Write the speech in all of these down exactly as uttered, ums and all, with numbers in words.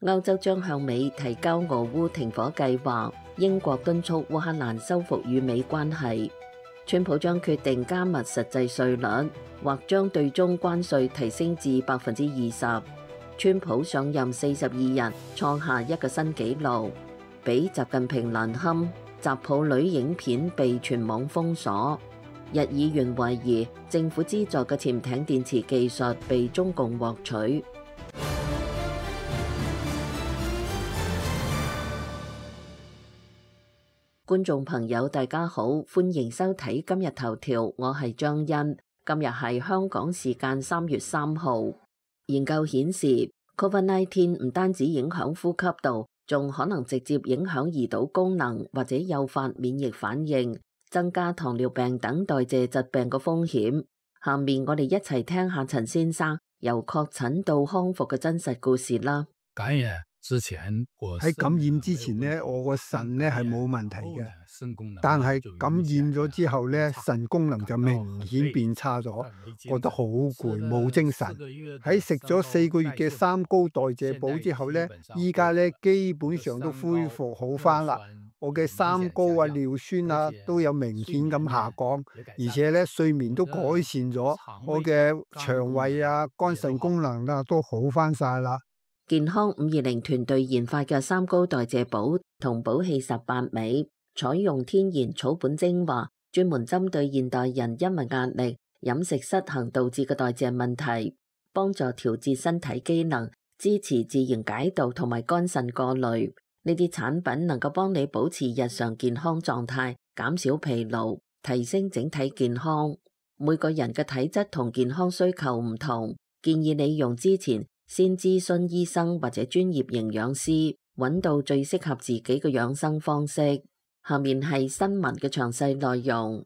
歐洲將向美提交俄烏停火計劃，英國敦促烏克蘭修復與美關係。川普將決定加密實際稅率，或將對中關稅提升至百分之二十。川普上任四十二日，創下一個新紀錄，比習近平難堪。習抱女影片被全網封鎖。日議員懷疑政府資助嘅潛艇電池技術被中共獲取。觀眾朋友，大家好，歡迎收睇今日頭條，我係張欣。今日係香港時間三月三號。研究顯示 ，Covid 十九 唔單止影響呼吸道，仲可能直接影響胰島功能或者誘發免疫反應，增加糖尿病等代謝疾病嘅風險。下面我哋一齊聽下陳先生由確診到康復嘅真實故事啦。感染之前，喺感染之前呢，我個腎呢係冇問題嘅，但係感染咗之後呢，腎功能就明顯變差咗，覺得好攰，冇精神。喺食咗四個月嘅三高代謝補之後呢，依家呢基本上都恢復好返啦。我嘅三高啊、尿酸啊都有明顯咁下降，而且呢睡眠都改善咗，我嘅腸胃啊、肝腎功能啊都好返晒啦。健康五二零團隊研發嘅三高代謝補同補氣十八味，採用天然草本精華，專門針對現代人因為壓力、飲食失衡導致嘅代謝問題，幫助調節身體機能，支持自然解毒同埋肝腎過濾。呢啲產品能夠幫你保持日常健康狀態，減少疲勞，提升整體健康。每個人嘅體質同健康需求唔同，建議你用之前先諮詢醫生或者專業營養師，揾到最適合自己嘅養生方式。下面係新聞嘅詳細內容。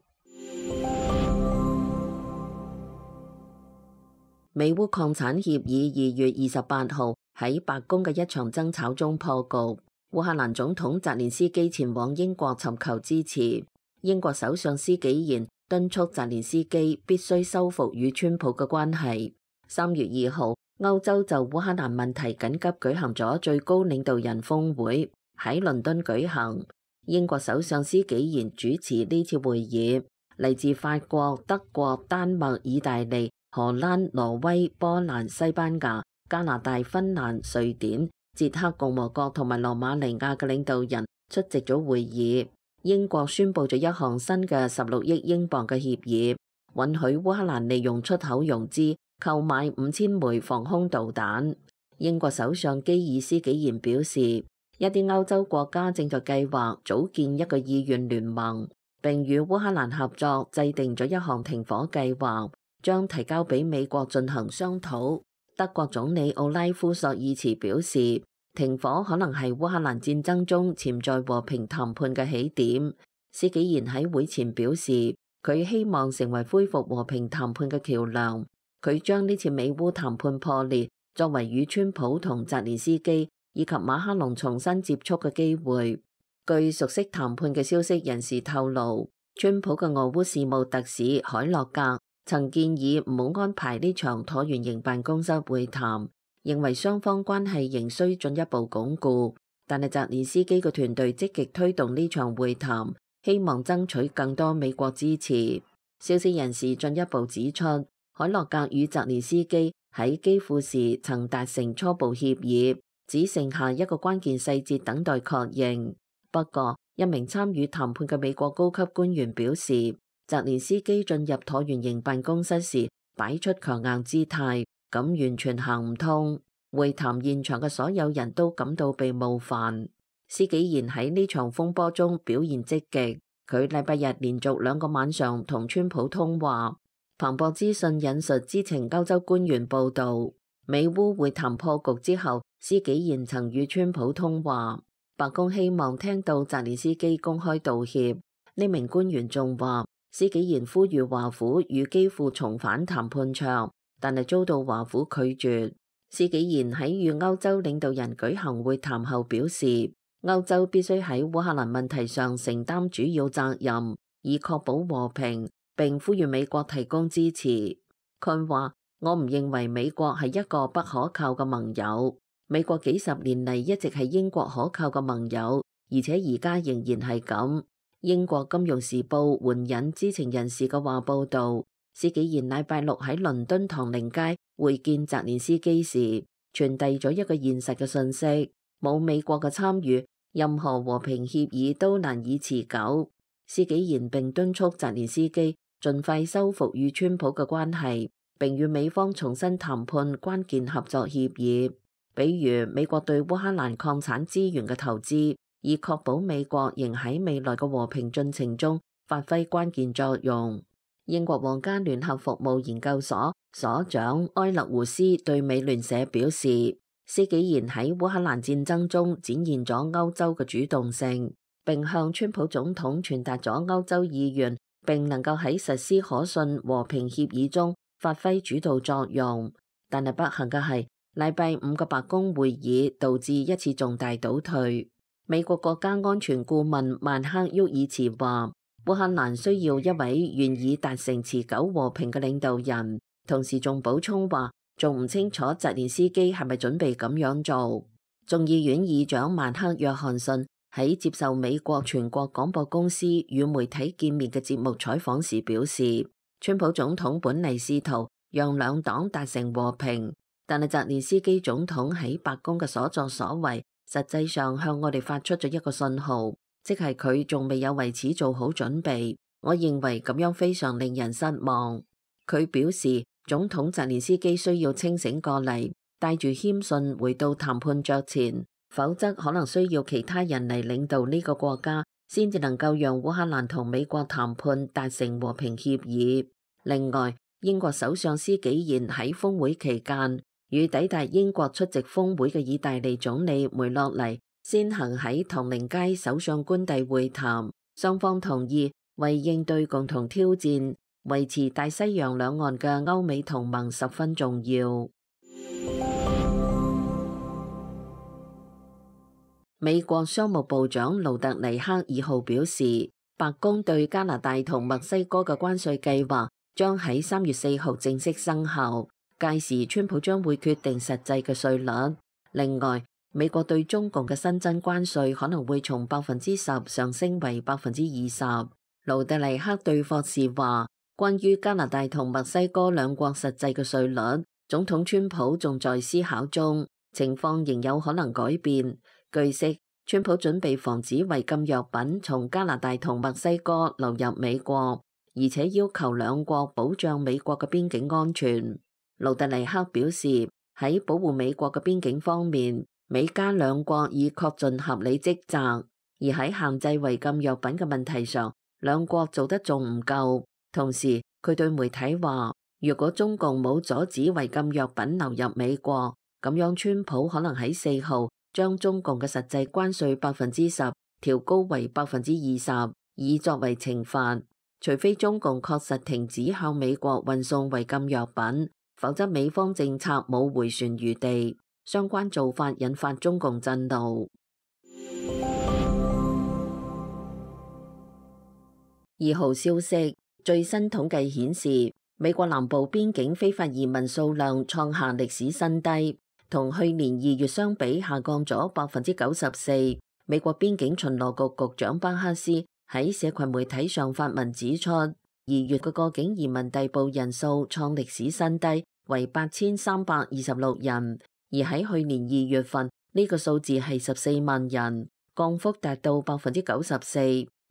美烏擴產協議二月二十八號喺白宮嘅一場爭吵中破局。烏克蘭總統澤連斯基前往英國尋求支持。英國首相施紀賢敦促澤連斯基必須修復與川普嘅關係。三月二號，歐洲就烏克蘭問題緊急舉行咗最高領導人峰會，喺倫敦舉行。英國首相施紀賢主持呢次會議，嚟自法國、德國、丹麥、意大利、荷蘭、挪威、波蘭、西班牙、加拿大、芬蘭、瑞典、捷克共和國同埋羅馬尼亞嘅領導人出席咗會議。英國宣布咗一項新嘅十六億英鎊嘅協議，允許烏克蘭利用出口融資購買五千枚防空導彈。英國首相基爾斯紀賢表示，一啲歐洲國家正在計劃組建一個意願聯盟，並與烏克蘭合作制定咗一項停火計劃，將提交俾美國進行商討。德國總理奧拉夫索爾茨表示，停火可能係烏克蘭戰爭中潛在和平談判嘅起點。施紀賢喺會前表示，佢希望成為恢復和平談判嘅橋梁。佢將呢次美烏談判破裂作為與川普同澤連斯基以及馬克龍重新接觸嘅機會。據熟悉談判嘅消息人士透露，川普嘅俄烏事務特使海洛格曾建議唔好安排呢場橢圓形辦公室會談，認為雙方關係仍需進一步鞏固。但係澤連斯基嘅團隊積極推動呢場會談，希望爭取更多美國支持。消息人士進一步指出，海洛格與澤連斯基喺基輔時曾達成初步協議，只剩下一個關鍵細節等待確認。不過，一名參與談判嘅美國高級官員表示，澤連斯基進入橢圓形辦公室時擺出強硬姿態，咁完全行唔通。會談現場嘅所有人都感到被冒犯。施紀賢喺呢場風波中表現積極，佢禮拜日連續兩個晚上同川普通話。彭博資訊引述知情歐洲官員報道，美烏會談破局之後，施紀賢曾與川普通話。白宮希望聽到澤連斯基公開道歉。呢名官員仲話，施紀賢呼籲華府與基輔重返談判桌，但係遭到華府拒絕。施紀賢喺與歐洲領導人舉行會談後表示，歐洲必須喺烏克蘭問題上承擔主要責任，以確保和平，並呼籲美國提供支持。佢話：我唔認為美國係一個不可靠嘅盟友。美國幾十年嚟一直係英國可靠嘅盟友，而且而家仍然係咁。英國金融時報援引知情人士嘅話報導，施紀賢禮拜六喺倫敦唐寧街會見澤連斯基時，傳遞咗一個現實嘅訊息：冇美國嘅參與，任何和平協議都難以持久。施紀賢並敦促澤連斯基盡快修復與川普嘅關係，並與美方重新談判關鍵合作協議，比如美國對烏克蘭礦產資源嘅投資，以確保美國仍喺未來嘅和平進程中發揮關鍵作用。英國皇家聯合服務研究所所長埃勒胡斯對美聯社表示，施紀賢喺烏克蘭戰爭中展現咗歐洲嘅主動性，並向川普總統傳達咗歐洲意願，並能夠喺實施可信和平協議中發揮主導作用。但係不幸嘅係，禮拜五嘅白宮會議導致一次重大倒退。美國國家安全顧問曼克沃爾茨話，烏克蘭需要一位願意達成持久和平嘅領導人，同時仲補充話，仲唔清楚澤連斯基係咪準備咁樣做。眾議院議長曼克約翰遜喺接受美國全國廣播公司與媒體見面嘅節目採訪時表示，川普總統本嚟試圖讓兩黨達成和平，但係澤連斯基總統喺白宮嘅所作所為，實際上向我哋發出咗一個信號，即係佢仲未有為此做好準備。我認為咁樣非常令人失望。佢表示，總統澤連斯基需要清醒過嚟，帶住謙遜回到談判桌前，否則可能需要其他人嚟領導呢個國家，先至能夠讓烏克蘭同美國談判達成和平協議。另外，英國首相施紀賢喺峰會期間與抵達英國出席峰會嘅意大利總理梅洛尼先行喺唐寧街首相官邸會談，雙方同意為應對共同挑戰，維持大西洋兩岸嘅歐美同盟十分重要。美國商務部長盧特尼克二號表示，白宮對加拿大同墨西哥嘅關稅計劃將喺三月四號正式生效，屆時川普將會決定實際嘅稅率。另外，美國對中共嘅新增關稅可能會從百分之十上升為百分之二十。盧特尼克對霍士話，關於加拿大同墨西哥兩國實際嘅稅率，總統川普仲在思考中，情況仍有可能改變。據悉，川普準備防止違禁藥品從加拿大同墨西哥流入美國，而且要求兩國保障美國嘅邊境安全。盧特尼克表示，喺保護美國嘅邊境方面，美加兩國已確盡合理職責，而喺限制違禁藥品嘅問題上，兩國做得仲唔夠。同時，佢對媒體話，如果中共冇阻止違禁藥品流入美國，咁樣川普可能喺四號將中共嘅實際關稅百分之十調高為百分之二十，以作為懲罰。除非中共確實停止向美國運送違禁藥品，否則美方政策冇回旋餘地。相關做法引發中共震怒。二號消息，最新統計顯示，美國南部邊境非法移民數量創下歷史新低。同去年二月相比，下降咗百分之九十四。美國邊境巡邏局局長巴克斯喺社群媒體上發文指出，二月嘅過境移民逮捕人數創歷史新低，為八千三百二十六人，而喺去年二月份呢個數字係十四萬人，降幅達到百分之九十四。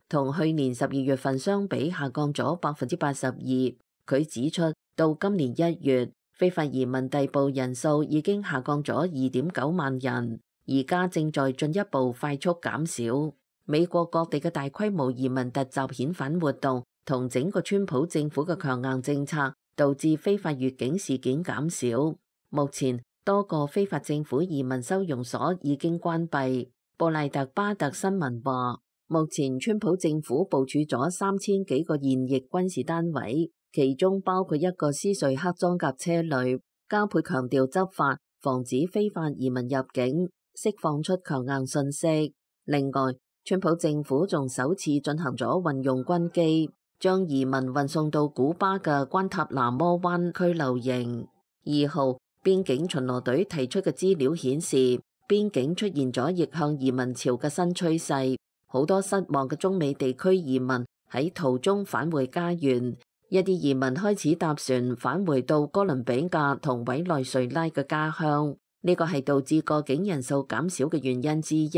同去年十二月份相比，下降咗百分之八十二。佢指出，到今年一月，非法移民逮捕人數已經下降咗二點九萬人，而家正在進一步快速減少。美國各地嘅大規模移民突襲遣返活動同整個川普政府嘅強硬政策，導致非法越境事件減少。目前多個非法政府移民收容所已經關閉。布賴特巴特新聞話，目前川普政府部署咗三千幾個現役軍事單位，其中包括一個斯瑞克裝甲車旅，加倍強調執法，防止非法移民入境，釋放出強硬信息。另外，川普政府仲首次進行咗運用軍機，將移民運送到古巴嘅關塔那摩灣拘留營。二號，邊境巡邏隊提出嘅資料顯示，邊境出現咗逆向移民潮嘅新趨勢，好多失望嘅中美地區移民喺途中返回家園，一啲移民開始搭船返回到哥倫比亞同委內瑞拉嘅家鄉，呢個係導致過境人數減少嘅原因之一。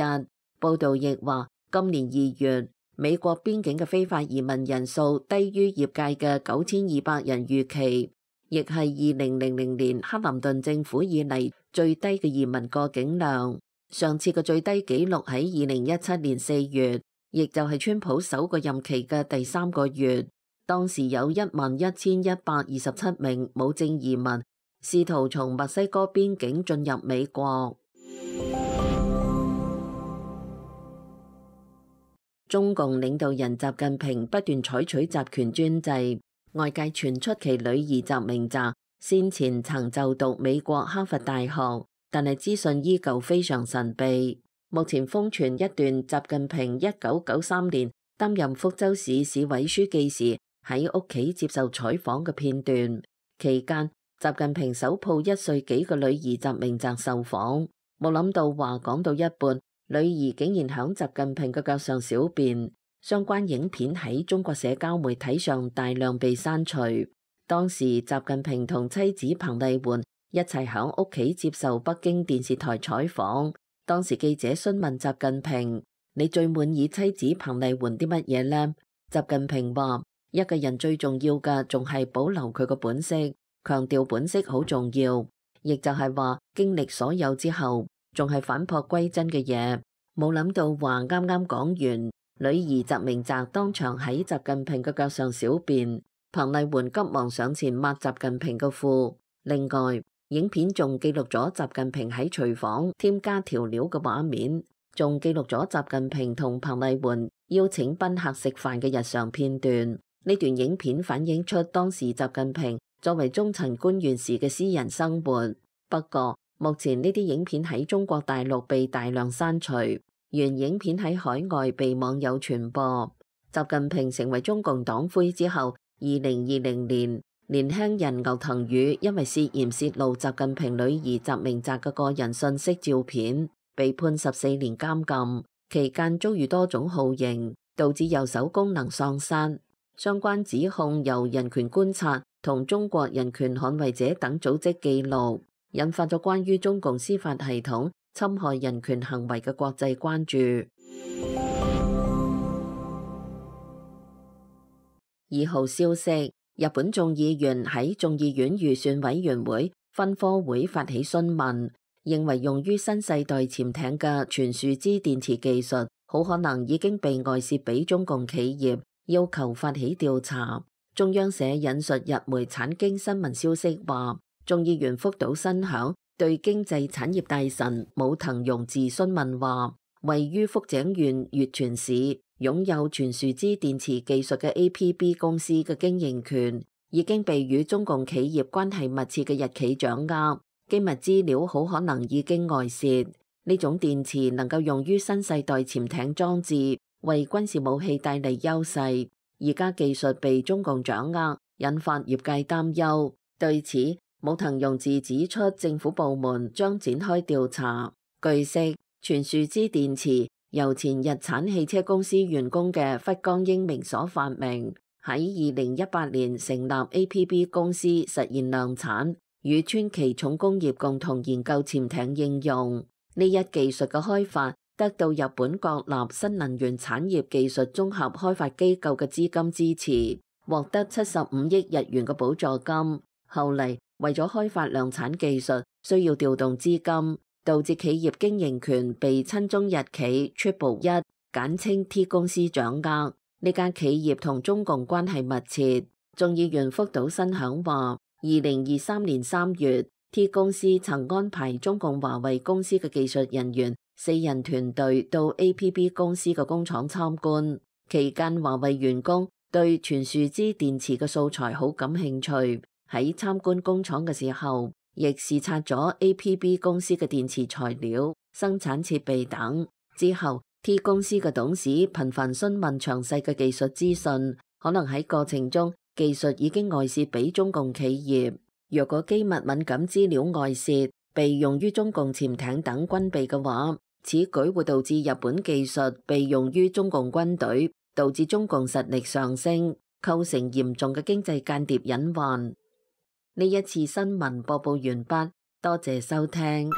報道亦話，今年二月美國邊境嘅非法移民人數低於業界嘅九千二百人預期，亦係二零零零年克林頓政府以嚟最低嘅移民過境量。上次嘅最低紀錄喺二零一七年四月，亦就係川普首個任期嘅第三個月，當時有一萬一千一百二十七名無證移民試圖從墨西哥邊境進入美國。中共領導人習近平不斷採取集權專制，外界傳出其女兒習明澤先前曾就讀美國哈佛大學，但係資訊依舊非常神秘。目前瘋傳一段習近平一九九三年擔任福州市市委書記時喺屋企接受採訪嘅片段，期間習近平手抱一歲幾嘅女兒習明澤受訪，冇諗到話講到一半，女兒竟然響習近平嘅腳上小便，相關影片喺中國社交媒體上大量被刪除。當時習近平同妻子彭麗媛一齊響屋企接受北京電視台採訪，當時記者詢問習近平：你最滿意妻子彭麗媛啲乜嘢呢？習近平話：一個人最重要嘅仲係保留佢個本色，強調本色好重要，亦就係話經歷所有之後，仲係返璞歸真嘅嘢。冇諗到話啱啱講完，女兒習明澤當場喺習近平嘅腳上小便，彭麗媛急忙上前抹習近平嘅褲。另外，影片仲記錄咗習近平喺廚房添加調料嘅畫面，仲記錄咗習近平同彭麗媛邀請賓客食飯嘅日常片段。呢段影片反映出當時習近平作為中層官員時嘅私人生活。不過，目前呢啲影片喺中國大陸被大量刪除，原影片喺海外被網友傳播。習近平成為中共黨魁之後，二零二零年，年輕人牛騰宇因為涉嫌洩露習近平女兒習明澤嘅個人信息照片，被判十四年監禁，期間遭遇多種酷刑，導致右手功能喪失。相關指控由人權觀察同中國人權捍衛者等組織記錄，引發咗關於中共司法系統侵害人權行為嘅國際關注。二號消息，日本眾議員喺眾議院預算委員會分科會發起詢問，認為用於新世代潛艇嘅全樹脂電池技術好可能已經被外泄俾中共企業，要求發起調查。中央社引述日媒產經新聞消息話，眾議員福島新響對經濟產業大臣武藤庸治詢問話，位於福井縣越泉市擁有全樹脂電池技術嘅 A P B 公司嘅經營權已經被與中共企業關係密切嘅日企掌握，機密資料好可能已經外泄。呢種電池能夠用於新世代潛艇裝置，為軍事武器帶嚟優勢。而家技術被中共掌握，引發業界擔憂。對此，武藤庸治指出，政府部門將展開調查。據悉，全樹脂電池由前日產汽車公司員工嘅忽江英明所發明，喺二零一八年成立 A P B 公司，實現量產，與川崎重工業共同研究潛艇應用。呢一技術嘅開發得到日本國立新能源產業技術綜合開發機構嘅資金支持，獲得七十五億日元嘅補助金。後嚟為咗開發量產技術，需要調動資金，導致企業經營權被親中日企 Triple 一簡稱 T 公司掌握。呢間企業同中共關係密切。眾議員福島新響話，二零二三年三月 T 公司曾安排中共華為公司嘅技術人員四人團隊到 A P B 公司嘅工廠參觀，期間華為員工對全樹脂電池嘅素材好感興趣，喺參觀工廠嘅時候，亦視察咗 A P B 公司嘅電池材料、生產設備等。之後 T 公司嘅董事頻繁詢問詳細嘅技術資訊，可能喺過程中技術已經外泄俾中共企業。若果機密敏感資料外泄，被用於中共潛艇等軍備嘅話，此舉會導致日本技術被用於中共軍隊，導致中共實力上升，構成嚴重嘅經濟間諜隱患。呢一次新聞播報完畢，多謝收聽。